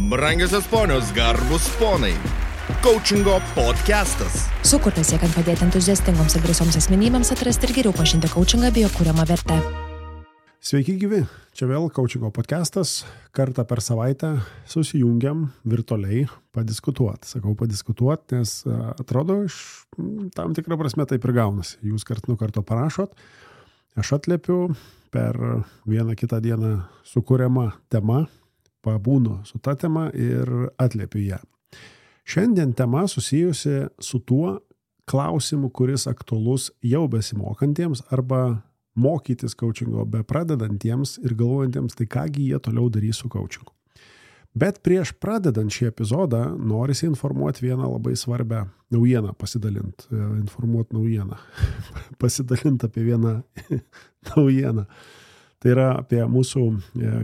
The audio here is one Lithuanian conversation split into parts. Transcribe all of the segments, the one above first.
Brangiosios ponios, garbus ponai. Coachingo podcastas. Sukurtas siekiant padėti entuziastingoms ir drąsioms asmenybėms atrasti ir geriau pažinti coachingą bei jo kuriamą vertę. Sveiki gyvi, čia vėl Coachingo podcastas. Kartą per savaitę susijungiam virtualiai padiskutuoti. Sakau padiskutuoti, nes atrodo, tam tikrą prasme taip ir gaunasi. Jūs kart nuo karto parašot, aš atliepiu per vieną kitą dieną sukuriamą temą, pabūnu su ta tema ir atliepiu ją. Šiandien tema susijusi su tuo klausimu, kuris aktualus jau besimokantiems arba mokytis coachingo be pradedantiems ir galvojantiems, tai kągi jie toliau darys su coachingu. Bet prieš pradedant šį epizodą norisi informuoti vieną labai svarbią naujieną, pasidalinti apie vieną naujieną. Tai yra apie mūsų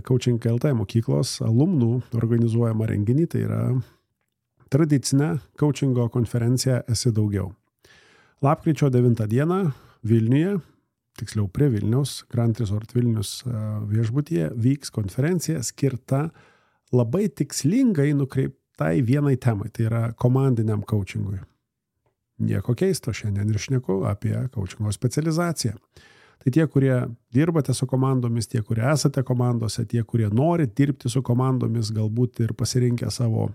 Coaching LT mokyklos alumnų organizuojamą renginį, tai yra tradicinė coachingo konferencija Esi daugiau. Lapkričio 9 dieną Vilniuje, tiksliau prie Vilniaus, Grand Resort Vilnius viešbutyje, vyks konferencija skirta labai tikslingai nukreiptai vienai temai, tai yra komandiniam coachingui. Nieko keisto, šiandien ir šneku apie coachingo specializaciją. Tai tie, kurie dirbate su komandomis, tie, kurie esate komandose, tie, kurie nori dirbti su komandomis, galbūt ir pasirinkę savo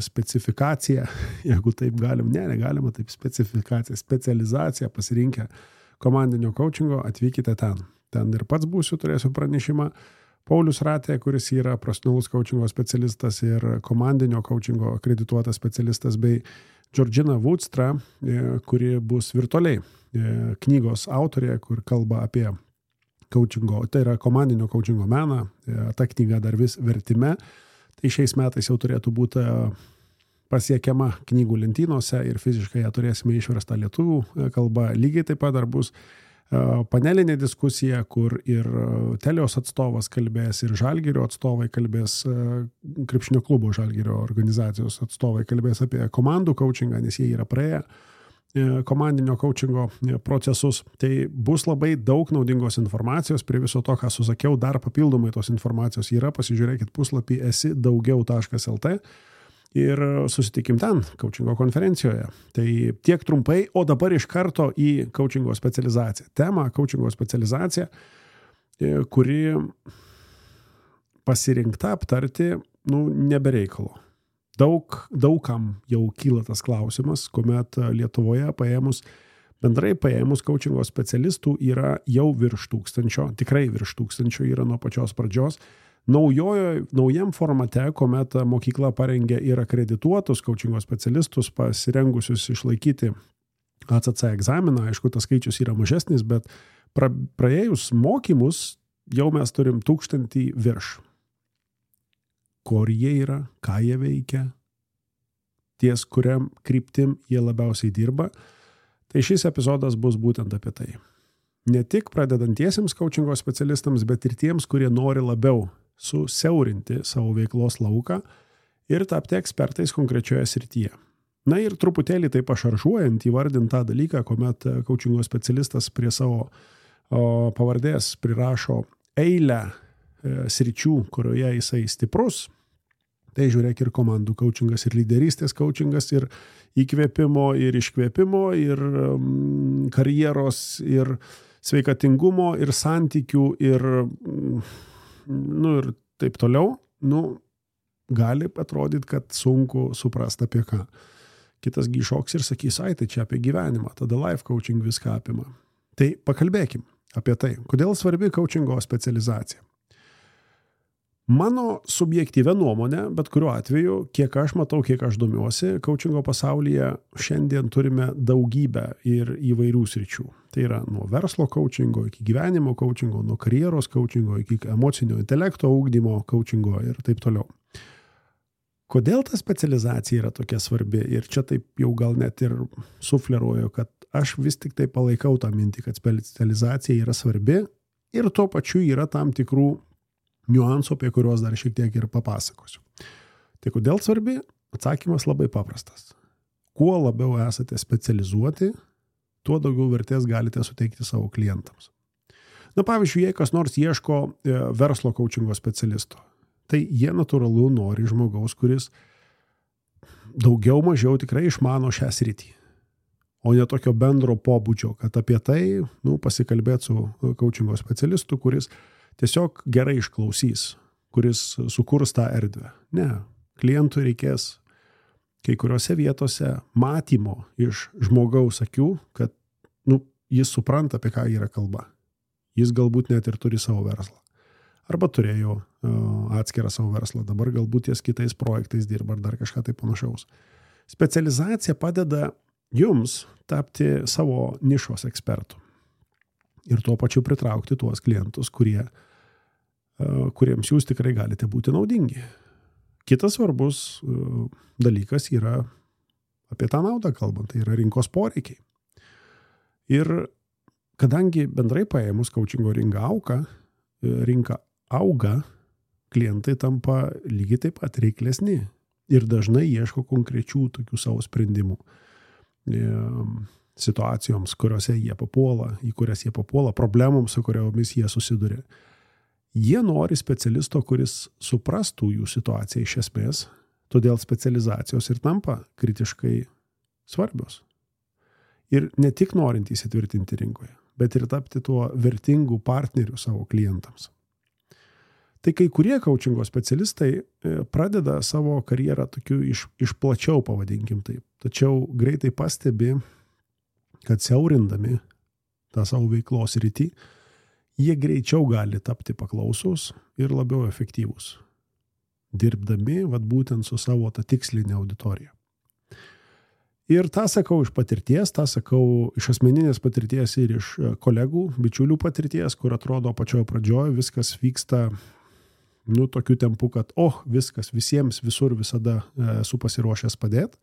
specifikaciją, jeigu taip negalima taip specializaciją pasirinkę komandinio coachingo, atvykite ten. Ten ir pats būsiu, turėsiu pranešimą. Paulius Ratė, kuris yra profesionalus coachingo specialistas ir komandinio coachingo akredituotas specialistas, bei Georgina Vudstra, kuri bus virtualiai knygos autorė, kur kalba apie coachingo, tai yra komandinio coachingo meną, ta knyga dar vis vertime, tai šiais metais jau turėtų būti pasiekiama knygų lentynose ir fiziškai ją turėsime išverstą lietuvių kalba. Lygiai taip pat dar bus panelinė diskusija, kur ir Telios atstovas kalbės, ir Žalgirio atstovai kalbės, krepšinio klubo Žalgirio organizacijos atstovai kalbės apie komandų coachingą, nes jie yra praėję komandinio coachingo procesus. Tai bus labai daug naudingos informacijos. Prie viso to, ką susakiau, dar papildomai tos informacijos yra. Pasižiūrėkit puslapį esidaugiau.lt ir susitikim ten, coachingo konferencijoje. Tai tiek trumpai, o dabar iš karto į coachingo specializaciją. Tema coachingo specializacija, kuri pasirinkta aptarti, nebereikalo. Daugam jau kyla tas klausimas, kuomet Lietuvoje bendrai paėmus coachingo specialistų yra jau virš 1000, tikrai virš 1000 yra nuo pačios pradžios. Naujam formate, kuomet mokykla parengė ir akredituotus coachingo specialistus, pasirengusius išlaikyti ACC egzaminą, aišku, tas skaičius yra mažesnis, bet praėjus mokymus jau mes turim 1000 virš. Kur jie yra, ką jie veikia, ties kuriam kryptim jie labiausiai dirba. Tai šis epizodas bus būtent apie tai. Ne tik pradedantiesiems coachingo specialistams, bet ir tiems, kurie nori labiau susiaurinti savo veiklos lauką ir tapti ekspertais konkrečioje srityje. Na ir truputėlį taip pašaržuojant įvardint tą dalyką, kuomet coachingo specialistas prie savo pavardės prirašo eilę sričių, kurioje jisai stiprus. Tai žiūrėk ir komandų coachingas, ir lyderystės coachingas, ir įkvėpimo, ir iškvėpimo, ir karjeros, ir sveikatingumo, ir santykių, ir taip toliau. Gali atrodyti, kad sunku suprasti apie ką. Kitas šoks ir sakys, tai čia apie gyvenimą, tada life coaching viską apima. Tai pakalbėkim apie tai, kodėl svarbi coachingo specializacija. Mano subjektyvia nuomonė, bet kuriuo atveju, kiek aš matau, kiek aš domiuosi, coachingo pasaulyje šiandien turime daugybę ir įvairių sričių. Tai yra nuo verslo coachingo iki gyvenimo coachingo, nuo karjeros coachingo iki emocinio intelekto ugdymo coachingo ir taip toliau. Kodėl ta specializacija yra tokia svarbi? Ir čia taip jau gal net ir sufleruoju, kad aš vis tik tai palaikau tą mintį, kad specializacija yra svarbi ir tuo pačiu yra tam tikrų niuansų, apie kuriuos dar šiek tiek ir papasakosiu. Tai kodėl svarbi? Atsakymas labai paprastas. Kuo labiau esate specializuoti, tuo daugiau vertės galite suteikti savo klientams. Pavyzdžiui, jei kas nors ieško verslo coachingo specialisto, tai jie natūralu nori žmogaus, kuris daugiau mažiau tikrai išmano šią sritį. O ne tokio bendro pobūdžio, kad apie tai pasikalbėti su coachingo specialistu, kuris tiesiog gerai išklausys, kuris sukurs tą erdvę. Ne, klientui reikės kai kuriuose vietose matymo iš žmogaus akių, kad jis supranta, apie ką yra kalba. Jis galbūt net ir turi savo verslą. Arba turėjo atskirą savo verslą, dabar galbūt ties kitais projektais dirba ar dar kažką tai panašaus. Specializacija padeda jums tapti savo nišos ekspertų ir tuo pačiu pritraukti tuos klientus, kuriems jūs tikrai galite būti naudingi. Kitas svarbus dalykas yra apie tą naudą kalbant, tai yra rinkos poreikiai. Ir kadangi bendrai paėmus coachingo rinka auga, klientai tampa lygiai taip pat reiklesni ir dažnai ieško konkrečių tokių savo sprendimų situacijoms, į kurias jie papuola, problemoms, su kuriomis jie susiduria. Jie nori specialisto, kuris suprastų jų situaciją iš esmės, todėl specializacijos ir tampa kritiškai svarbios. Ir ne tik norint įsitvirtinti rinkoje, bet ir tapti tuo vertingu partneriu savo klientams. Tai kai kurie coachingo specialistai pradeda savo karjerą tokiu iš plačiau, pavadinkim taip. Tačiau greitai pastebi, kad siaurindami tą savo veiklos rytį, jie greičiau gali tapti paklausūs ir labiau efektyvūs, dirbdami būtent su savo tą tikslinę auditoriją. Ir tą sakau iš patirties, tą sakau iš asmeninės patirties ir iš kolegų, bičiulių patirties, kur atrodo pačioje pradžioje viskas vyksta tokiu tempu, kad viskas visiems visur visada esu pasiruošęs padėti,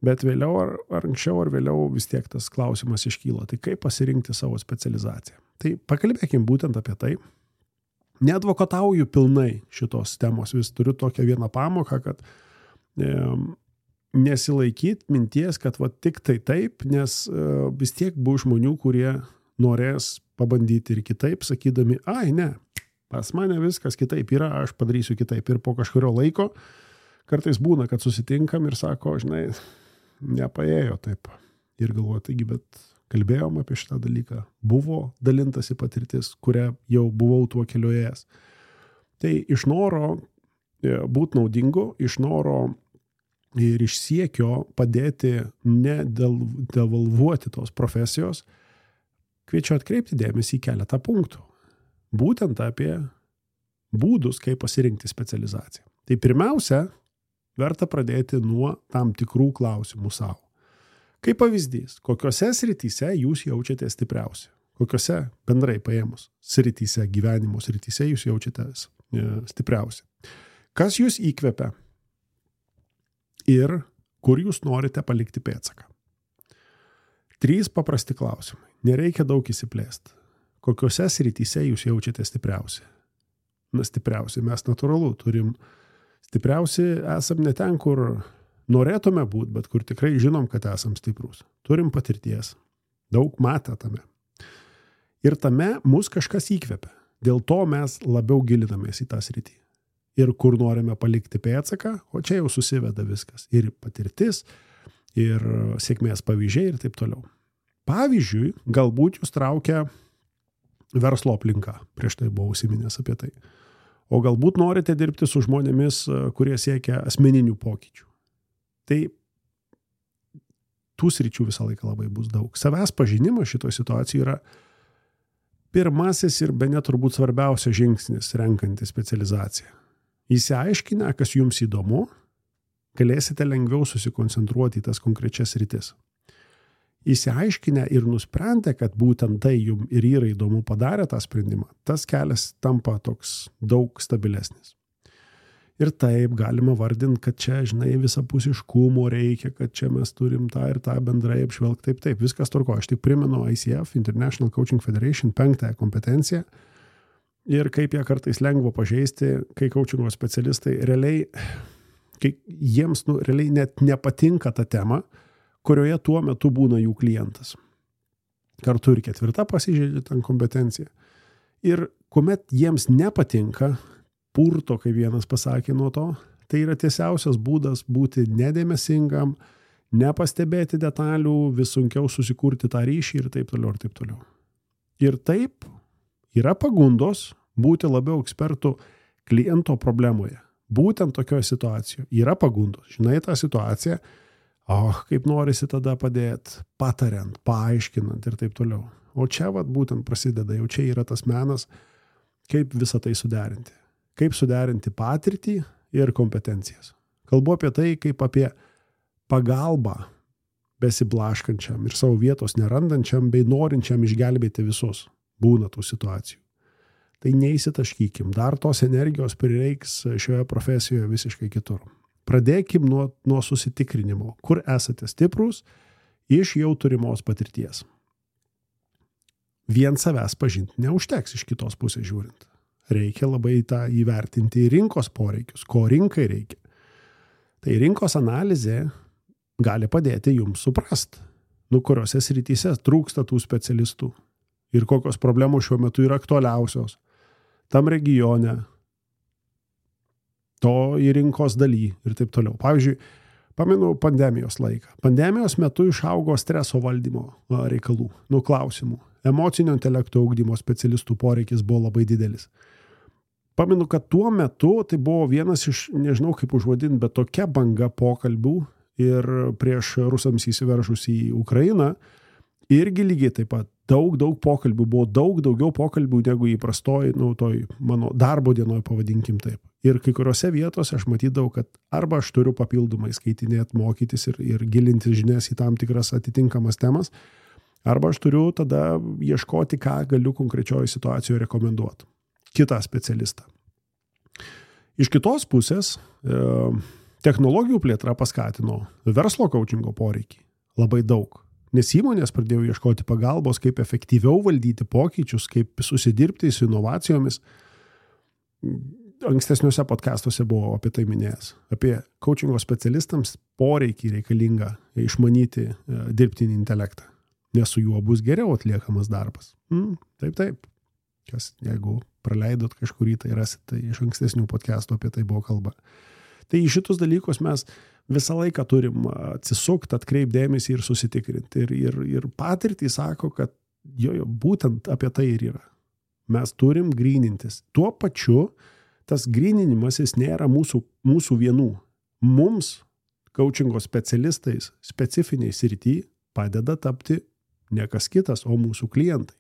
bet vėliau ar anksčiau ar vėliau vis tiek tas klausimas iškyla. Tai kaip pasirinkti savo specializaciją? Tai pakalbėkim būtent apie tai. Neadvokatauju pilnai šitos temos, vis turiu tokią vieną pamoką, kad nesilaikyt minties, kad tik tai taip, nes vis tiek bus žmonių, kurie norės pabandyti ir kitaip, sakydami, ne, pas mane viskas kitaip yra, aš padarysiu kitaip. Ir po kažkurio laiko kartais būna, kad susitinkam ir sako, žinai, nepaėjo taip. Ir galvoju, taigi, bet kalbėjom apie šitą dalyką. Buvo dalintasi patirtis, kurią jau buvau tuo keliu ėjęs. Tai iš noro būti naudingu, iš noro ir iš siekio padėti nedevalvuoti tos profesijos, kviečiu atkreipti dėmesį į keletą punktų. Būtent apie būdus, kaip pasirinkti specializaciją. Tai pirmiausia, verta pradėti nuo tam tikrų klausimų savo. Kaip pavyzdys, kokiose srityse jūs jaučiatės stipriausi? Kokiose bendrai paėmus srityse, gyvenimo srityse jūs jaučiatės stipriausi? Kas jūs įkvepia? Ir kur jūs norite palikti pėdsaką? 3 paprasti klausimai. Nereikia daug įsiplėsti. Kokiose srityse jūs jaučiate stipriausi? Stipriausi mes natūralu turim. Stipriausi esam ne ten, kur norėtume būti, bet kur tikrai žinom, kad esam stiprus. Turim patirties. Daug matę tame. Ir tame mus kažkas įkvepia. Dėl to mes labiau gilinamės į tą sritį. Ir kur norime palikti pėdsaką, o čia jau susiveda viskas. Ir patirtis, ir sėkmės pavyzdžiai ir taip toliau. Pavyzdžiui, galbūt jūs traukia verslo aplinka, prieš tai buvau užsiminęs apie tai. O galbūt norite dirbti su žmonėmis, kurie siekia asmeninių pokyčių. Tai tų sričių visą laiką labai bus daug. Savęs pažinimas šitoje situacijoje yra pirmasis ir bene turbūt svarbiausias žingsnis renkantis specializaciją. Įsiaiškinę, kas jums įdomu, galėsite lengviau susikoncentruoti į tas konkrečias sritis. Įsiaiškinę ir nusprendę, kad būtent tai jums ir yra įdomu padarę tą sprendimą, tas kelias tampa toks daug stabilesnis. Ir taip galima vardinti, kad čia, žinai, visapusiškumo reikia, kad čia mes turim tą ir tą bendrai apžvelgti. Taip, viskas tvarko. Aš tik primenu ICF, International Coaching Federation, 5 kompetenciją. Ir kaip ją kartais lengva pažeisti, kai coachingo specialistai realiai, kai jiems realiai net nepatinka ta tema, kurioje tuo metu būna jų klientas. Kartu ir 4 pasižeidžia ten kompetencija. Ir kuomet jiems nepatinka, purto, kaip vienas pasakė nuo to. Tai yra tiesiausias būdas būti nedėmesingam, nepastebėti detalių, vis sunkiau susikurti tą ryšį ir taip toliau, ir taip toliau. Ir taip yra pagundos būti labiau ekspertų kliento problemoje. Būtent tokioje situacijoje yra pagundos. Žinai tą situaciją, kaip norisi tada padėti, patariant, paaiškinant ir taip toliau. O čia būtent prasideda, jau čia yra tas menas, kaip visą tai suderinti. Kaip suderinti patirtį ir kompetencijas. Kalbu apie tai, kaip apie pagalbą besiblaškančiam ir savo vietos nerandančiam bei norinčiam išgelbėti visus. Būna tų situacijų. Tai neįsitaškykim. Dar tos energijos prireiks šioje profesijoje visiškai kitur. Pradėkim nuo susitikrinimo, kur esate stiprūs iš jau turimos patirties. Vien savęs pažinti neužteks iš kitos pusės žiūrint. Reikia labai tą įvertinti rinkos poreikius, ko rinkai reikia. Tai rinkos analizė gali padėti jums suprasti, kuriuose srityse trūksta tų specialistų ir kokios problemos šiuo metu yra aktualiausios tam regione, to į rinkos daly ir taip toliau. Pavyzdžiui, pamenu pandemijos laiką. Pandemijos metu išaugo streso valdymo reikalų, klausimų. Emocinio intelekto ugdymo specialistų poreikis buvo labai didelis. Pamenu, kad tuo metu tai buvo vienas iš, nežinau kaip užvadinti, bet tokia banga pokalbių ir prieš rusams įsiveržus į Ukrainą irgi lygiai taip pat daug pokalbių, buvo daug daugiau pokalbių negu įprastoj, toj mano darbo dienoj, pavadinkim taip. Ir kai kuriuose vietose aš matydavau, kad arba aš turiu papildomai skaitinėti, mokytis ir gilinti žinias į tam tikras atitinkamas temas, arba aš turiu tada ieškoti, ką galiu konkrečioje situacijoje rekomenduoti. Kitą specialistą. Iš kitos pusės, technologijų plėtra paskatino verslo coachingo poreikį labai daug. Nes įmonės pradėjo ieškoti pagalbos, kaip efektyviau valdyti pokyčius, kaip susidirbti su inovacijomis. Ankstesniuose podcastuose buvo apie tai minėjęs. Apie coachingo specialistams poreikį reikalingą išmanyti dirbtinį intelektą. Nes su juo bus geriau atliekamas darbas. Taip. Kas, jeigu praleidot kažkurį, tai rasit, tai iš ankstesnių podcastų apie tai buvo kalba. Tai į šitus dalykus mes visą laiką turim atsisukti, atkreipdėmėsi ir susitikrinti. Ir patirtį sako, kad būtent apie tai ir yra. Mes turim grynintis. Tuo pačiu tas gryninimas jis nėra mūsų vienų. Mums, coachingo specialistais, specifiniai srity padeda tapti ne kas kitas, o mūsų klientai.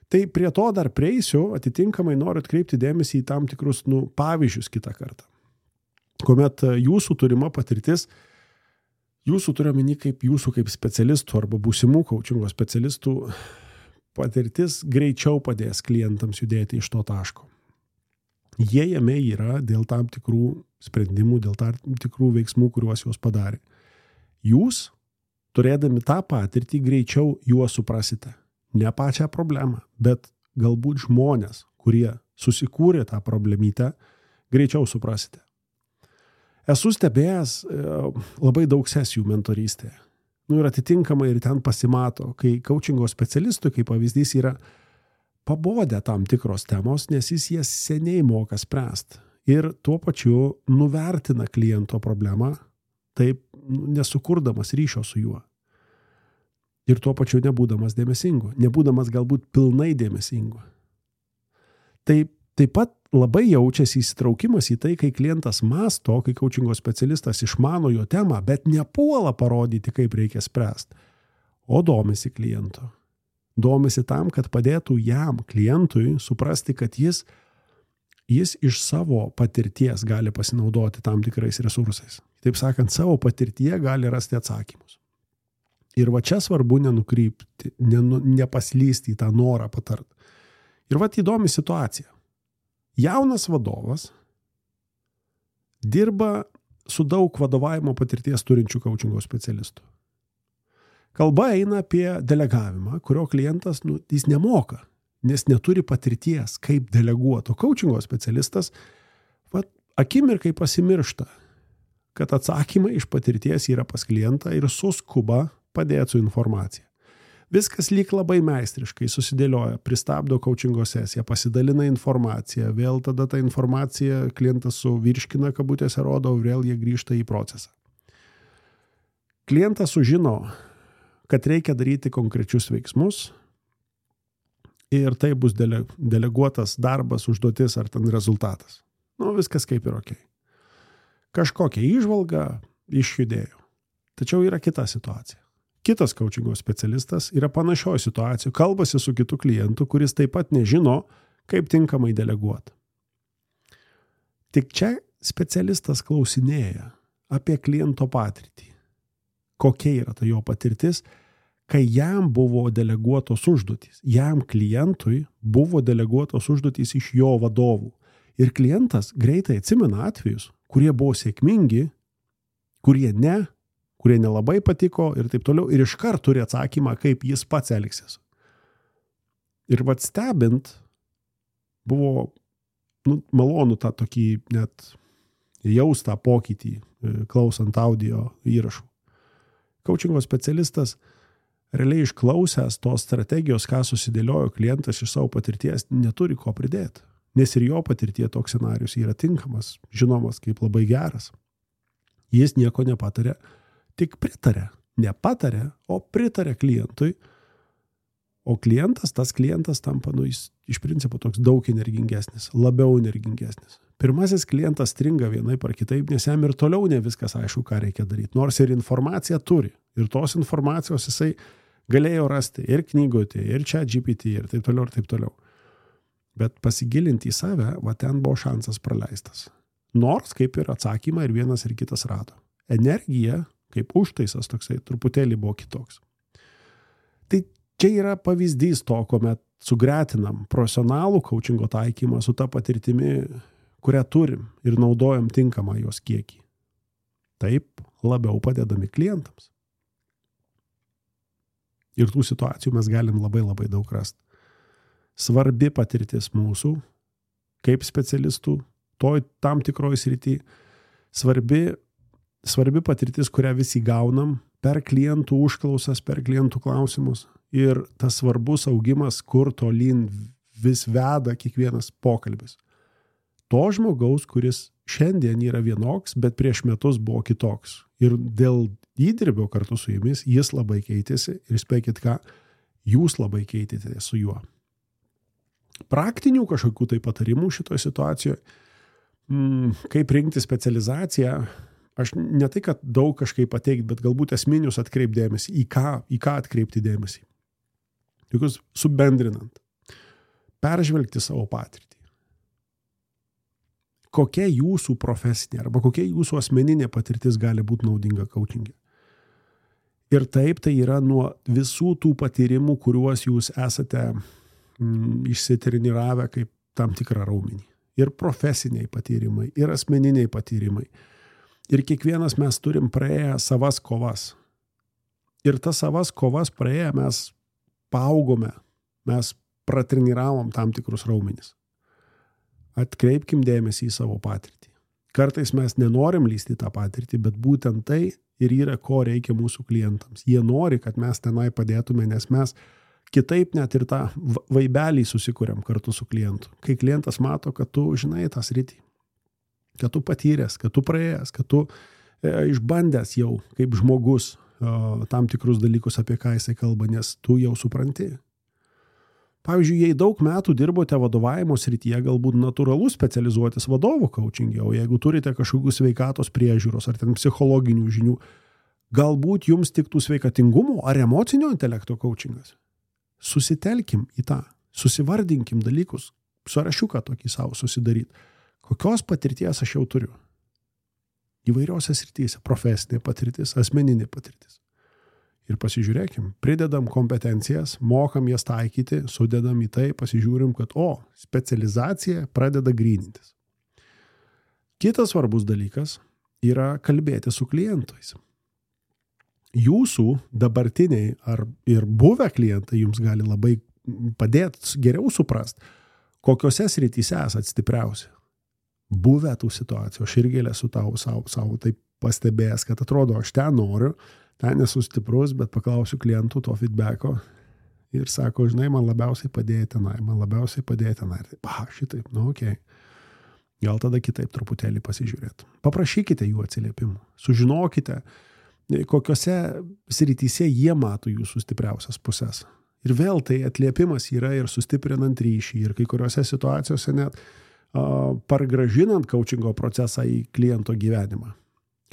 Tai prie to dar prieisiu, atitinkamai noriu atkreipti dėmesį į tam tikrus pavyzdžius kitą kartą. Kuomet jūsų turima patirtis, jūsų turiuomenį kaip jūsų kaip specialistų arba būsimų coachingo specialistų patirtis greičiau padės klientams judėti iš to taško. Jie jame yra dėl tam tikrų sprendimų, dėl tam tikrų veiksmų, kuriuos jūs padarė. Jūs, turėdami tą patirtį, greičiau juos suprasite. Ne pačią problemą, bet galbūt žmonės, kurie susikūrė tą problemytę, greičiau suprasite. Esu stebėjęs labai daug sesijų mentorystėje. Ir atitinkamai ir ten pasimato, kai coachingo specialistui, kaip pavyzdys, yra pabodę tam tikros temos, nes jis jas seniai moka spręsti. Ir tuo pačiu nuvertina kliento problemą, taip nesukurdamas ryšio su juo. Ir tuo pačiu nebūdamas dėmesingu, nebūdamas galbūt pilnai dėmesingu. Taip pat labai jaučiasi įsitraukimas į tai, kai klientas mąsto, kai coachingo specialistas išmano jo temą, bet nepuola parodyti, kaip reikia spręsti, o domisi kliento. Domisi tam, kad padėtų jam, klientui, suprasti, kad jis iš savo patirties gali pasinaudoti tam tikrais resursais. Taip sakant, savo patirtyje gali rasti atsakymus. Ir va čia svarbu nenukrypti, nepaslysti į tą norą patart. Ir va įdomi situacija. Jaunas vadovas dirba su daug vadovavimo patirties turinčių coachingo specialistų. Kalba eina apie delegavimą, kurio klientas jis nemoka, nes neturi patirties, kaip deleguoto. Coachingo specialistas akimirkai pasimiršta, kad atsakymai iš patirties yra pas klientą ir suskuba padėti su informacija. Viskas lyg labai meistriškai susidėlioja, pristabdo coachingo sesiją, pasidalina informaciją, vėl tada tą informaciją klientas suvirškina, kabutėse rodo, vėl jie grįžta į procesą. Klientas sužino, kad reikia daryti konkrečius veiksmus ir tai bus deleguotas darbas, užduotis ar ten rezultatas. Viskas kaip ir okei. Kažkokia įžvalga išjudėjo. Tačiau yra kita situacija. Kitas coachingo specialistas yra panašioje situacijoje, kalbasi su kitu klientu, kuris taip pat nežino, kaip tinkamai deleguoti. Tik čia specialistas klausinėja apie kliento patirtį. Kokia yra ta jo patirtis, kai jam buvo deleguotos užduotys. Jam klientui buvo deleguotos užduotys iš jo vadovų. Ir klientas greitai atsimena atvejus, kurie buvo sėkmingi, kurie nelabai patiko ir taip toliau, ir iškart turi atsakymą, kaip jis pats elgsis. Ir stebint, buvo malonu tą tokį net jaustą pokytį, klausant audio įrašų. Coachingo specialistas realiai išklausęs tos strategijos, ką susidėliojo klientas iš savo patirties, neturi ko pridėti. Nes ir jo patirtie toks scenarius yra tinkamas, žinomas kaip labai geras. Jis nieko nepatarė, tik pritarė. Nepatarė, o pritarė klientui. O tas klientas tampa, jis iš principo toks daug energingesnis, labiau energingesnis. Pirmasis klientas stringa vienaip ar kitaip, nes jam ir toliau ne viskas aišku, ką reikia daryti. Nors ir informaciją turi. Ir tos informacijos jisai galėjo rasti ir knygutė, ir ChatGPT, ir taip toliau, ir taip toliau. Bet pasigilinti į save, ten buvo šansas praleistas. Nors kaip ir atsakymą ir vienas ir kitas rado. Energija, kaip užtaisas toksai, truputėlį buvo kitoks. Tai čia yra pavyzdys to, kuomet sugretinam profesionalų coachingo taikymą su ta patirtimi, kurią turim ir naudojam tinkamą jos kiekį. Taip labiau padedami klientams. Ir tų situacijų mes galim labai labai daug rasti. Svarbi patirtis mūsų, kaip specialistų, tam tikroj srity, svarbi patirtis, kurią visi gaunam per klientų užklausas, per klientų klausimus ir tas svarbus augimas, kur tolyn vis veda kiekvienas pokalbis. To žmogaus, kuris šiandien yra vienoks, bet prieš metus buvo kitoks. Ir dėl įdirbio kartu su jumis jis labai keitėsi ir spėkit ką, jūs labai keitėte su juo. Praktinių kažkokių tai patarimų šitoje situacijoje, kaip rinkti specializaciją, aš ne tai, kad daug kažkaip pateikti, bet galbūt esminius atkreipdėmėsi, į ką atkreipti dėmesį. Tokius subendrinant, peržvelgti savo patirtį. Kokia jūsų profesinė arba kokia jūsų asmeninė patirtis gali būti naudinga coachingė. Ir taip tai yra nuo visų tų patyrimų, kuriuos jūs esate išsitreniravę kaip tam tikrą raumenį. Ir profesiniai patyrimai, ir asmeniniai patyrimai. Ir kiekvienas mes turim praėję savas kovas. Ir tas savas kovas praėję mes paaugome, mes pratreniravom tam tikrus raumenis. Atkreipkim dėmesį į savo patirtį. Kartais mes nenorim lysti tą patirtį, bet būtent tai ir yra, ko reikia mūsų klientams. Jie nori, kad mes tenai padėtume, nes mes kitaip net ir tą vaibelį susikuriam kartu su klientu. Kai klientas mato, kad tu žinai tą sritį, kad tu patyręs, kad tu praėjęs, kad tu išbandęs jau kaip žmogus tam tikrus dalykus, apie ką jisai kalba, nes tu jau supranti. Pavyzdžiui, jei daug metų dirbote vadovavimo srityje, galbūt natūralu specializuotis vadovų coachingė, o jeigu turite kažkokių sveikatos priežiūros ar ten psichologinių žinių, galbūt jums tiktų sveikatingumo ar emocinio intelekto coachingas. Susitelkim į tą, susivardinkim dalykus, sąrašiuką tokį savo susidaryti. Kokios patirties aš jau turiu? Įvairiose srityse, profesinė patirtis, asmeninė patirtis. Ir pasižiūrėkim, pridedam kompetencijas, mokam jas taikyti, sudedam į tai, pasižiūrim, kad specializacija pradeda grynintis. Kitas svarbus dalykas yra kalbėti su klientais. Jūsų dabartiniai ir buvę klientai jums gali labai padėti geriau suprast, kokiose srityse esat stipriausi. Buvę tų situacijų, aš irgi esu savo taip pastebėjęs, kad atrodo, aš ten noriu, ten esu stiprus, bet paklausiu klientų to feedbacko ir sako, žinai, man labiausiai padėjo tenai. Tai, šitaip, okei. Gal tada kitaip truputėlį pasižiūrėt. Paprašykite jų atsiliepimų. Sužinokite, kokiose srityse jie mato jūsų stipriausias pusės. Ir vėl tai atliepimas yra ir sustiprinant ryšį, ir kai kuriuose situacijose net pargražinant coachingo procesą į kliento gyvenimą.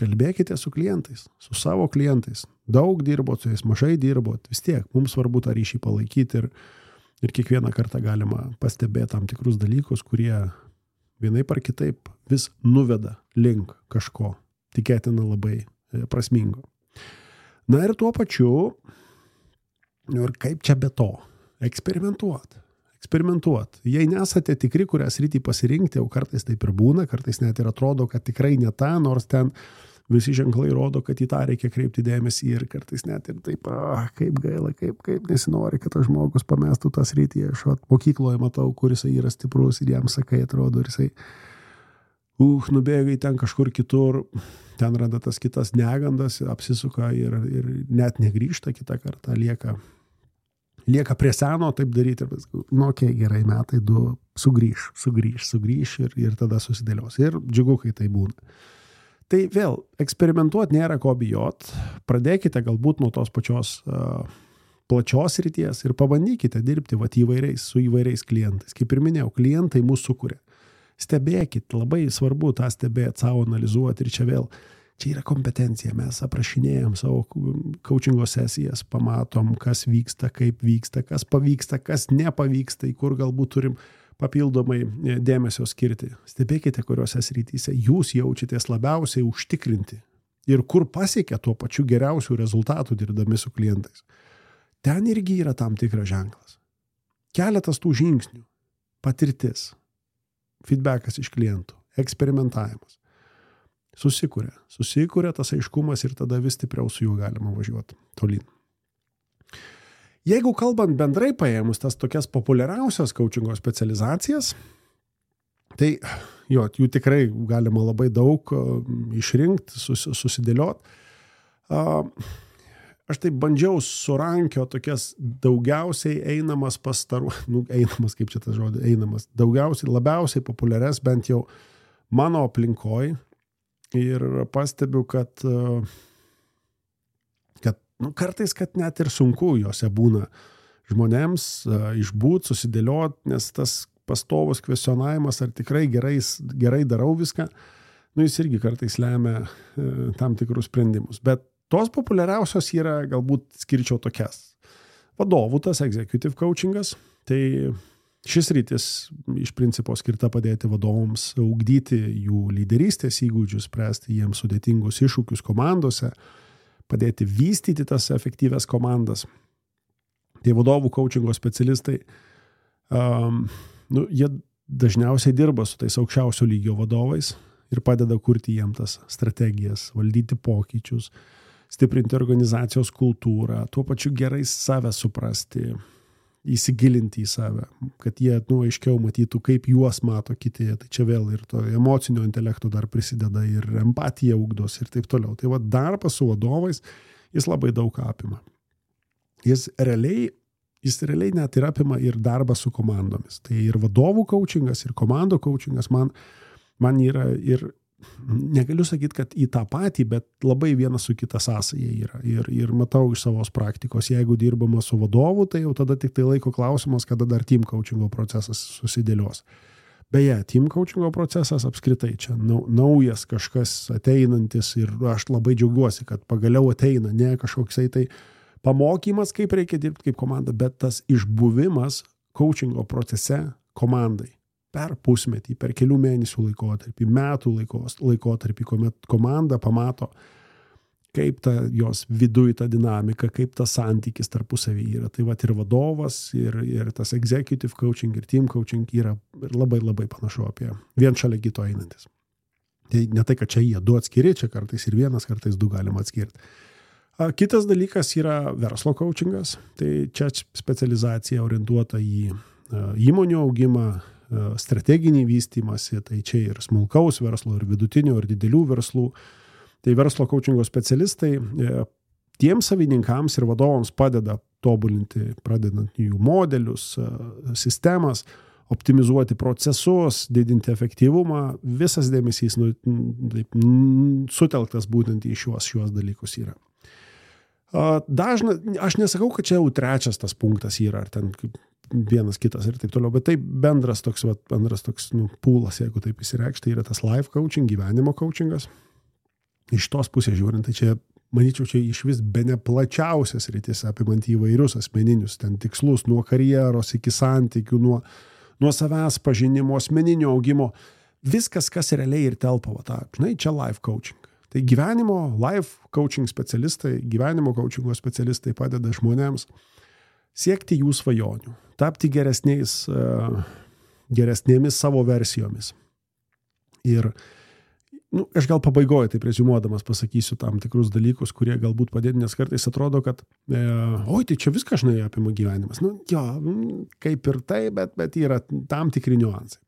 Kalbėkite su klientais, su savo klientais. Daug dirbot su jais, mažai dirbot. Vis tiek, mums svarbu tą ryšį palaikyti ir kiekvieną kartą galima pastebėti tam tikrus dalykus, kurie vienaip ar kitaip vis nuveda link kažko, tikėtina labai prasmingo. Na ir tuo pačiu, ir kaip čia be to, eksperimentuot. Jei nesate tikri, kurią sritį pasirinkti, jau kartais taip ir būna, kartais net ir atrodo, kad tikrai ne ta, nors ten visi ženklai rodo, kad į tą reikia kreipti dėmesį ir kartais net ir taip, kaip gaila, kaip nesinori, kad tas žmogus pamestų tą sritį. Aš mokykloje matau, kur jisai yra stiprus ir jam sakai, atrodo, ir jisai nubėga į ten kažkur kitur, ten randa tas kitas negandas, apsisuka ir net negrįžta kitą kartą, lieka prie seno taip daryti ir okei, gerai, metai 2, sugrįš ir tada susidėlios. Ir džiugu, kai tai būna. Tai vėl, eksperimentuoti nėra ko bijot, pradėkite galbūt nuo tos pačios plačios ryties ir pabandykite dirbti su įvairiais klientais. Kaip ir minėjau, klientai mūsų sukuria. Stebėkit, labai svarbu tą stebėti, savo analizuoti ir čia yra kompetencija. Mes aprašinėjom savo coachingo sesijas, pamatom, kas vyksta, kaip vyksta, kas pavyksta, kas nepavyksta, į kur galbūt turim papildomai dėmesio skirti. Stebėkite, kuriuose srityse jūs jaučiatės labiausiai užtikrinti ir kur pasiekia tuo pačiu geriausių rezultatų dirbdami su klientais. Ten irgi yra tam tikras ženklas. Keletas tų žingsnių, patirtis, feedbackas iš klientų, eksperimentavimas. Susikuria tas aiškumas ir tada vis stipriau su juo galima važiuoti tolyn. Jeigu kalbant bendrai paėmus tas tokias populiariausias coachingo specializacijas, tai jų tikrai galima labai daug išrinkti, susidėlioti. Aš taip bandžiau surankio tokias daugiausiai einamas labiausiai populiarias, bent jau mano aplinkoj, ir pastebiu, kad kartais, kad net ir sunku juose būna žmonėms išbūt, susidėliot, nes tas pastovus kvestionavimas, ar tikrai gerai darau viską, jis irgi kartais lemia tam tikrus sprendimus. Bet tos populiariausios yra, galbūt skirčiau tokias. Vadovų tas executive coachingas, tai šis rytis iš principo skirta padėti vadovams ugdyti jų lyderystės įgūdžius, spręsti jiems sudėtingus iššūkius komandose, padėti vystyti tas efektyvias komandas. Tai vadovų coachingo specialistai, jie dažniausiai dirba su tais aukščiausio lygio vadovais ir padeda kurti jiem tas strategijas, valdyti pokyčius, stiprinti organizacijos kultūrą, tuo pačiu gerai save suprasti, įsigilinti į save, kad jie aiškiau matytų, kaip juos mato kiti. Tai čia vėl ir to emocinio intelekto dar prisideda ir empatija ugdos ir taip toliau. Tai darbas su vadovais, jis labai daug apima. Jis realiai net ir apima ir darbą su komandomis. Tai ir vadovų coachingas, ir komandų coachingas man yra ir negaliu sakyti, kad į tą patį, bet labai vienas su kita sąsaja yra. Ir matau iš savos praktikos, jeigu dirbama su vadovu, tai jau tada tik tai laiko klausimas, kada dar team coachingo procesas susidėlios. Beje, team coachingo procesas apskritai čia naujas kažkas ateinantis ir aš labai džiaugiuosi, kad pagaliau ateina, ne kažkoksai tai pamokymas, kaip reikia dirbti kaip komanda, bet tas išbuvimas coachingo procese komandai. Per pusmetį, per kelių mėnesių laikotarpį, metų laikotarpį, kuomet komanda pamato, kaip ta jos viduj ta dinamika, kaip tas santykis tarpusavy yra. Tai ir vadovas, ir tas executive coaching, ir team coaching yra labai labai panašu apie vien šalia kito einantis. Tai ne tai, kad čia jie du atskiri, čia kartais ir vienas, kartais du galima atskirti. Kitas dalykas yra verslo coachingas. Tai čia specializacija orientuota į įmonių augimą, strateginį vystymąsi, tai čia ir smulkaus verslo, ir vidutinio, ir didelių verslų. Tai verslo coachingo specialistai tiems savininkams ir vadovams padeda tobulinti, pradedant jų modelius, sistemas, optimizuoti procesus, didinti efektyvumą, visas dėmesys sutelktas būtent į šiuos dalykus yra. Aš nesakau, kad čia jau trečias tas punktas yra, ar ten vienas kitas ir taip toliau, bet tai bendras toks pūlas, jeigu taip įsireikšti, tai yra tas life coaching, gyvenimo coachingas. Iš tos pusės žiūrint, tai čia, manyčiau, čia iš vis bene plačiausias rytis, apimant įvairius asmeninius ten tikslus, nuo karjeros iki santykių, nuo savęs pažinimo, asmeninio augimo, viskas, kas realiai ir telpa, čia life coaching. Tai gyvenimo, life coaching specialistai, gyvenimo coachingo specialistai padeda žmonėms siekti jų svajonių, tapti geresnėmis savo versijomis. Ir aš gal pabaigoju, taip reziumuodamas pasakysiu tam tikrus dalykus, kurie galbūt padėtų, nes kartais atrodo, kad tai čia viską žinai apima gyvenimas. Kaip ir tai, bet yra tam tikri niuansai.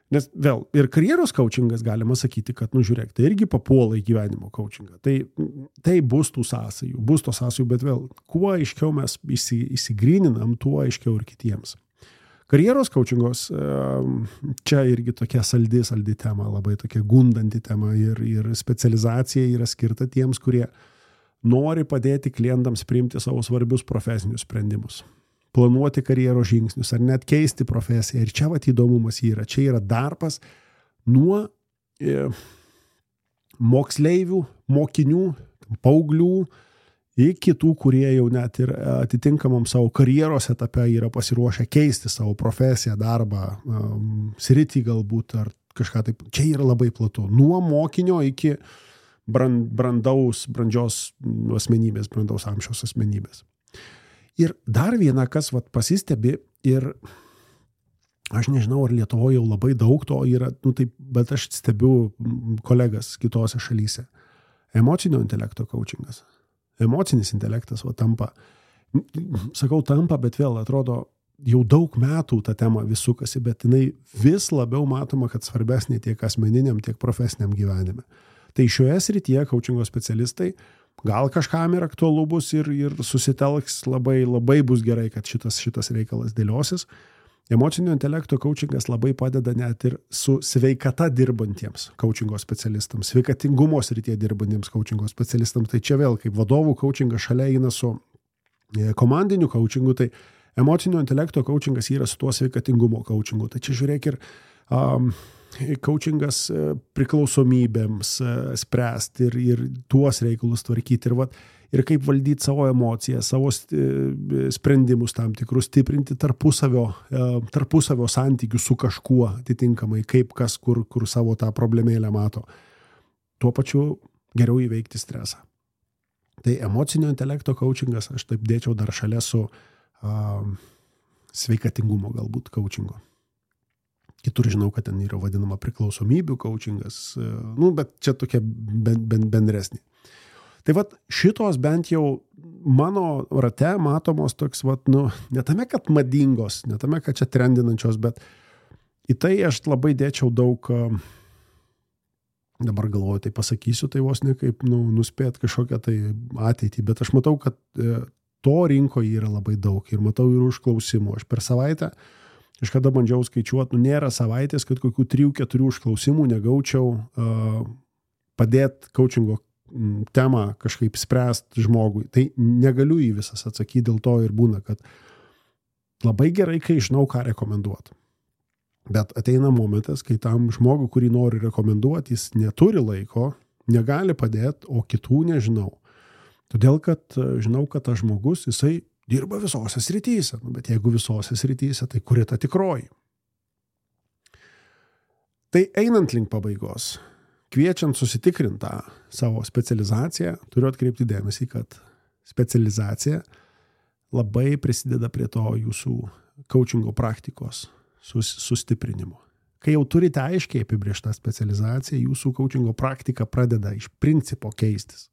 Nes vėl, ir karjeros coachingas galima sakyti, kad, žiūrėk, tai irgi papuola į gyvenimo coachingą. Tai bus tų sąsajų, bet vėl, kuo aiškiau mes įsigryninam, tuo aiškiau ir kitiems. Karjeros coachingos, čia irgi tokia saldi tema, labai tokia gundanti tema ir specializacija yra skirta tiems, kurie nori padėti klientams priimti savo svarbius profesinius sprendimus. Planuoti karjeros žingsnius ar net keisti profesiją. Ir čia įdomumas yra. Čia yra darbas nuo moksleivių, mokinių, paauglių iki tų, kurie jau net ir atitinkamam savo karjeros etape yra pasiruošę keisti savo profesiją, darbą, sritį galbūt ar kažką taip. Čia yra labai platu. Nuo mokinio iki brandžios asmenybės, brandaus amžiaus asmenybės. Ir dar viena, kas pasistebi, ir aš nežinau, ar Lietuvoje jau labai daug to yra, bet aš stebiu kolegas kitose šalyse. Emocinio intelekto coachingas. Emocinis intelektas tampa, bet vėl atrodo, jau daug metų ta tema vis sukasi, bet jinai vis labiau matoma, kad svarbesnė tiek asmeniniam, tiek profesiniam gyvenime. Tai šioje srityje coachingo specialistai gal kažkam ir aktualu bus ir susitelks labai bus gerai, kad šitas reikalas dėliosis. Emocinio intelekto coachingas labai padeda net ir su sveikata dirbantiems coachingo specialistams, sveikatingumo srityje dirbantiems coachingo specialistams. Tai čia vėl kaip vadovų coachingas šalia eina su komandiniu coachingu, tai emocinio intelekto coachingas yra su tuo sveikatingumo coachingu. Tai čia žiūrėk ir coachingas priklausomybėms spręsti ir tuos reikalus tvarkyti ir kaip valdyti savo emocijas, savo sprendimus tam tikrus, stiprinti tarpusavio santykių su kažkuo atitinkamai, kaip kas kur savo tą problemėlę mato. Tuo pačiu geriau įveikti stresą. Tai emocinio intelekto coachingas aš taip dėčiau dar šalia su sveikatingumo galbūt coachingo. Kitur žinau, kad ten yra vadinama priklausomybių coachingas, bet čia tokia bendresnė. Tai šitos bent jau mano rate matomos toks, ne tame, kad madingos, ne tame, kad čia trendinančios, bet į tai aš labai dėčiau daug, dabar galvoju, tai pasakysiu, tai vos ne kaip nuspėt kažkokią tai ateitį, bet aš matau, kad to rinkoje yra labai daug ir matau ir užklausimų. Aš per savaitę kažkada bandžiau skaičiuoti, nėra savaitės, kad kokių 3-4 užklausimų negaučiau padėti coachingo temą kažkaip spręsti žmogui. Tai negaliu į visas atsakyti, dėl to ir būna, kad labai gerai, kai žinau, ką rekomenduoti. Bet ateina momentas, kai tam žmogui, kurį nori rekomenduoti, jis neturi laiko, negali padėti, o kitų nežinau. Todėl, kad žinau, kad tas žmogus, jisai dirba visose srityse, bet jeigu visose srityse, tai kuri ta tikroji? Tai einant link pabaigos, kviečiant susitikrintą savo specializaciją, turiu atkreipti dėmesį, kad specializacija labai prisideda prie to jūsų coachingo praktikos sustiprinimo. Kai jau turite aiškiai apibrėžtą specializaciją, jūsų coachingo praktika pradeda iš principo keistis.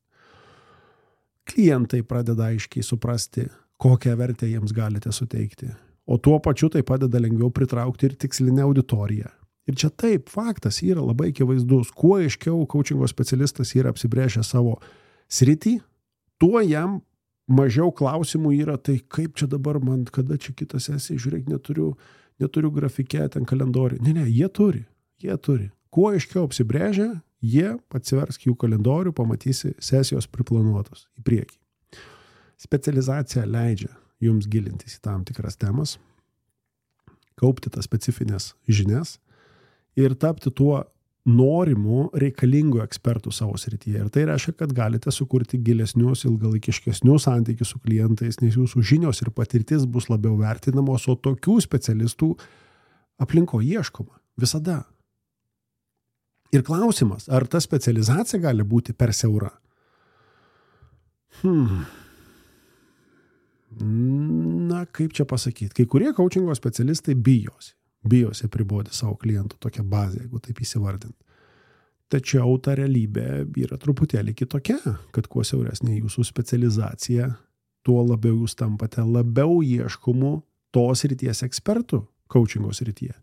Klientai pradeda aiškiai suprasti, kokią vertę jiems galite suteikti. O tuo pačiu tai padeda lengviau pritraukti ir tikslinę auditoriją. Ir čia taip, faktas yra labai akivaizdus. Kuo aiškiau coachingo specialistas yra apsibrėžę savo sritį, tuo jam mažiau klausimų yra, tai kaip čia dabar man, kada čia kita sesija, žiūrėk, neturiu grafike, ten kalendorių. Ne, jie turi. Kuo aiškiau apsibrėžia, jie atsivers jų kalendorių, pamatysi sesijos priplanuotos į priekį. Specializacija leidžia jums gilintis į tam tikras temas, kaupti tas specifines žinias ir tapti tuo norimų reikalingų ekspertų savo srityje. Ir tai reiškia, kad galite sukurti gilesnius, ilgalaikiškesnius santykius su klientais, nes jūsų žinios ir patirtis bus labiau vertinamos, o tokių specialistų aplinko ieškoma visada. Ir klausimas, ar ta specializacija gali būti per siaura? Na, kaip čia pasakyti? Kai kurie coachingo specialistai bijosi apriboti savo klientų tokią bazę, jeigu taip įsivardint. Tačiau ta realybė yra truputėlį kitokia, kad kuo siauresnė jūsų specializacija, tuo labiau jūs tampate labiau ieškomų tos srities ekspertų coachingo srityje.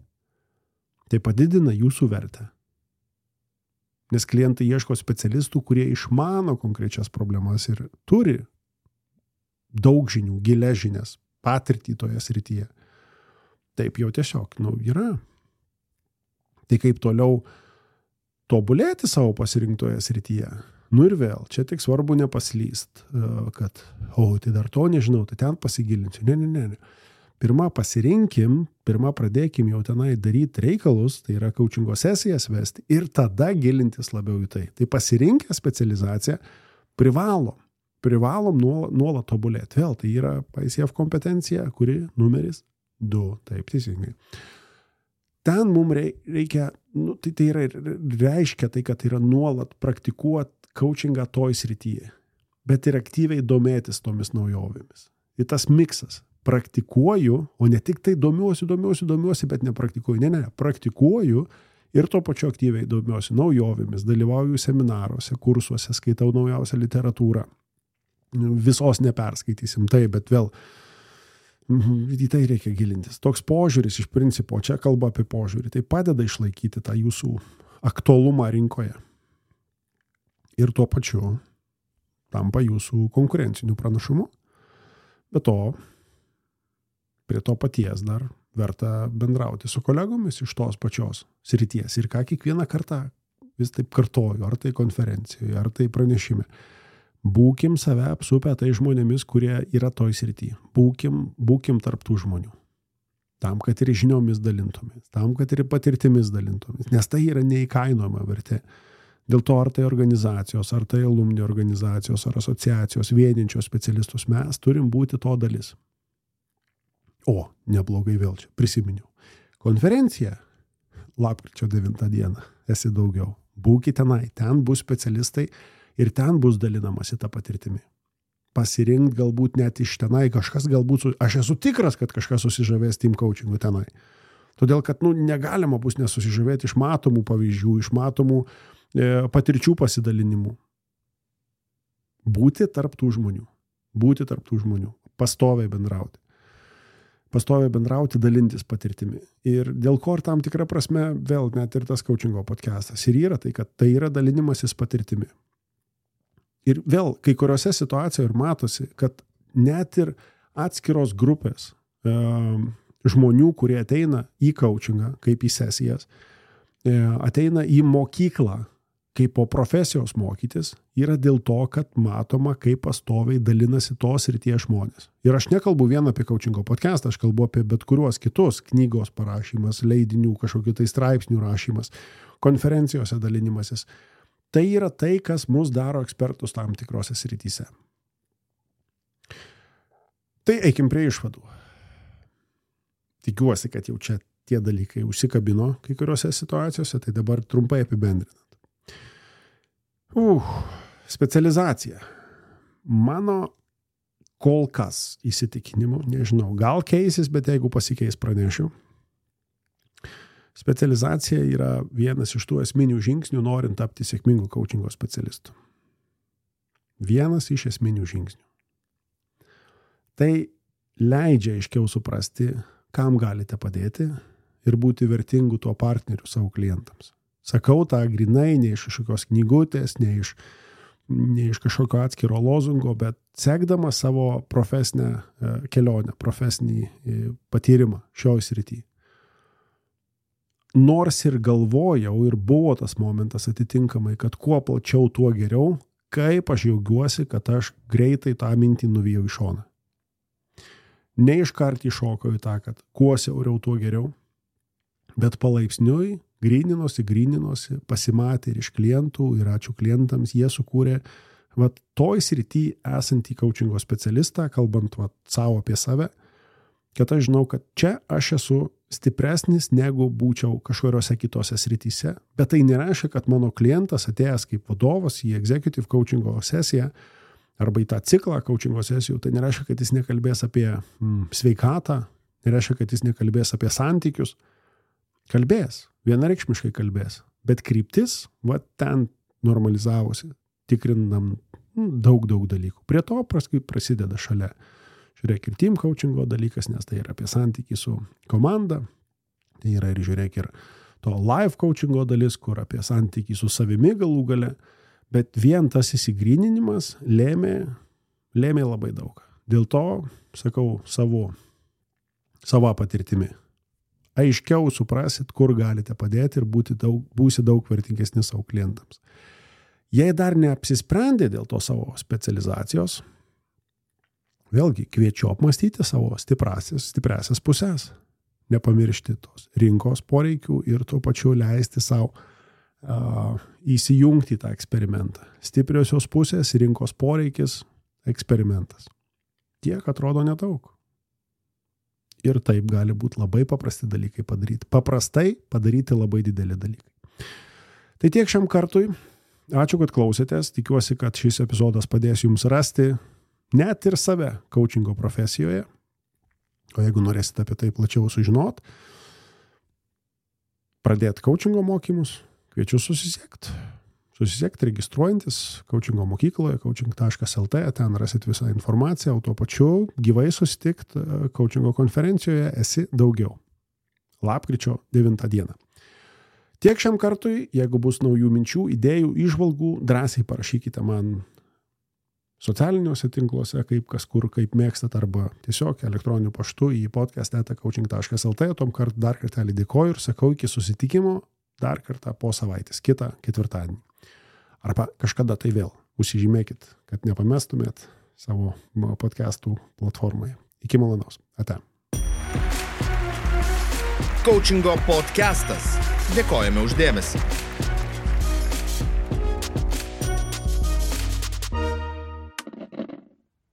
Tai padidina jūsų vertę. Nes klientai ieško specialistų, kurie išmano konkrečias problemas ir turi daug žinių, gilias žinias, patirtį toje srityje. Taip jau tiesiog, yra. Tai kaip toliau tobulėti savo pasirinktoje srityje? Ir vėl, čia tik svarbu nepaslyst, kad, tai dar to nežinau, tai ten pasigilinsiu. Ne. Pirma pradėkim jau tenai daryti reikalus, tai yra coachingo sesijas vesti ir tada gilintis labiau į tai. Tai pasirinkę specializaciją privalom nuolat tobulėti. Vėl, tai yra ICF kompetencija, kuri numeris 2, taip teisingai. Ten mums reikia, tai reiškia tai, kad tai yra nuolat praktikuoti coachingą toj srityje, bet ir aktyviai domėtis tomis naujovėmis. Ir tas miksas. Praktikuoju, o ne tik tai domiuosi, bet nepraktikuoju. Ne, praktikuoju ir tuo pačiu aktyviai domiuosi naujovėmis, dalyvauju seminaruose, kursuose, skaitau naujausią literatūrą. Visos neperskaitysim, bet vėl į tai reikia gilintis. Toks požiūris iš principo, čia kalba apie požiūrį, tai padeda išlaikyti tą jūsų aktualumą rinkoje. Ir tuo pačiu tampa jūsų konkurenciniu pranašumu. Be to, prie to paties dar verta bendrauti su kolegomis iš tos pačios srities. Ir ką kiekvieną kartą vis taip kartoju, ar tai konferencijoje, ar tai pranešime. Būkim save apsupę tai žmonėmis, kurie yra toj srityje. Būkim tarp tų žmonių. Tam, kad ir žiniomis dalintumės, tam, kad ir patirtimis dalintumės. Nes tai yra neįkainojama vertė. Dėl to, ar tai organizacijos, ar tai alumni organizacijos, ar asociacijos, vieninčios specialistus, mes turim būti to dalis. O, neblogai vėl čia, prisiminiau. Konferencija, lapkričio 9 dieną, esi daugiau. Būkite tenai, ten bus specialistai ir ten bus dalinamasi tą patirtimį. Pasirinkti galbūt net iš tenai kažkas, aš esu tikras, kad kažkas susižavės team coachingu tenai. Todėl, kad negalima bus nesusižavėti iš matomų pavyzdžių, iš matomų patirčių pasidalinimų. Būti tarp tų žmonių, pastoviai bendrauti, dalintis patirtimi. Ir dėl ko ir tam tikra prasme, vėl net ir tas coachingo podcastas. Ir yra tai, kad tai yra dalinimasis patirtimi. Ir vėl, kai kuriuose situacijoje ir matosi, kad net ir atskiros grupės žmonių, kurie ateina į coachingą, kaip į sesijas, ateina į mokyklą, kaip po profesijos mokytis, yra dėl to, kad matoma, kaip pastoviai dalinasi tos srities žmonės. Ir aš nekalbu vien apie coachingo podcastą, aš kalbu apie bet kuriuos kitus, knygos parašymas, leidinių, kažkokių tai straipsnių rašymas, konferencijose dalinimasis. Tai yra tai, kas mus daro ekspertus tam tikrose srityse. Tai eikim prie išvadų. Tikiuosi, kad jau čia tie dalykai užsikabino kai kuriuose situacijose, tai dabar trumpai apibendrinant. Specializacija. Mano kol kas įsitikinimu, nežinau, gal keisis, bet jeigu pasikeis pranešiu. Specializacija yra vienas iš tų esminių žingsnių, norint tapti sėkmingų coachingo specialistų. Vienas iš esminių žingsnių. Tai leidžia aiškiau suprasti, kam galite padėti ir būti vertingų tuo partneriu savo klientams. Sakau tą grinai, ne iš kažkokios knygutės, ne iš ne iš kažkokio atskiro lozungo, bet sekdamas savo profesinę kelionę, profesinį patyrimą šioj srity. Nors ir galvojau ir buvo tas momentas atitinkamai, kad kuo plačiau, tuo geriau, kaip aš jaugiuosi, kad aš greitai tą mintį nuvijau į šoną. Ne iškart įšokau į tą, kad kuo siauriau, tuo geriau, bet palaipsniui gryninosi, pasimatė ir iš klientų, ir ačiū klientams, jie sukūrė toj srity esantį coachingo specialistą, kalbant savo apie save, kad aš žinau, kad čia aš esu stipresnis, negu būčiau kažkuriuose kitose srityse, bet tai nereiškia, kad mano klientas atėjęs kaip vadovas į executive coachingo sesiją arba į tą ciklą coachingo sesijų, tai nereiškia, kad jis nekalbės apie sveikatą, nereiškia, kad jis nekalbės apie santykius. Kalbės, vienareikšmiškai kalbės, bet kryptis ten normalizavosi, tikrinam daug dalykų. Prie to prasideda šalia. Žiūrėk ir team coachingo dalykas, nes tai yra apie santykį su komanda. Tai yra ir žiūrėk ir to live coachingo dalis, kur apie santykį su savimi galų gale. Bet vien tas įsigryninimas lėmė labai daug. Dėl to, sakau, savo patirtimi. Aiškiau suprasit, kur galite padėti ir būsi daug vertingesni savo klientams. Jei dar neapsisprendė dėl to savo specializacijos, vėlgi kviečiu apmastyti savo stipriasias pusės, nepamiršti tos rinkos poreikių ir tuo pačiu leisti savo įsijungti tą eksperimentą. Stipriosios pusės, rinkos poreikis, eksperimentas. Tiek atrodo nedaug. Ir taip gali būti labai paprasti dalykai padaryti. Paprastai padaryti labai dideli dalykai. Tai tiek šiam kartui. Ačiū, kad klausėtės. Tikiuosi, kad šis epizodas padės jums rasti net ir save coachingo profesijoje. O jeigu norėsite apie tai plačiau sužinot, pradėti coachingo mokymus, kviečiu susisiekti. Susisiekti registruojantis coachingo mokykloje, coaching.lt, ten rasit visą informaciją, o tuo pačiu gyvai susitikti coachingo konferencijoje Esi daugiau. Lapkričio 9 dieną. Tiek šiam kartui, jeigu bus naujų minčių, idėjų, įžvalgų, drąsiai parašykite man socialiniuose tinkluose, kaip kas kur, kaip mėgstat, arba tiesiog elektroniniu paštu į podcast@coaching.lt. Tom kart dar kartelį dėkoju ir sakau iki susitikimo dar kartą po savaitės, kitą ketvirtadienį. Arba kažkada tai vėl. Užsižymėkit, kad nepamestumėt savo podcastų platformoje. Iki malonaus. Ate. Coachingo podcastas. Dėkojame už dėmesį.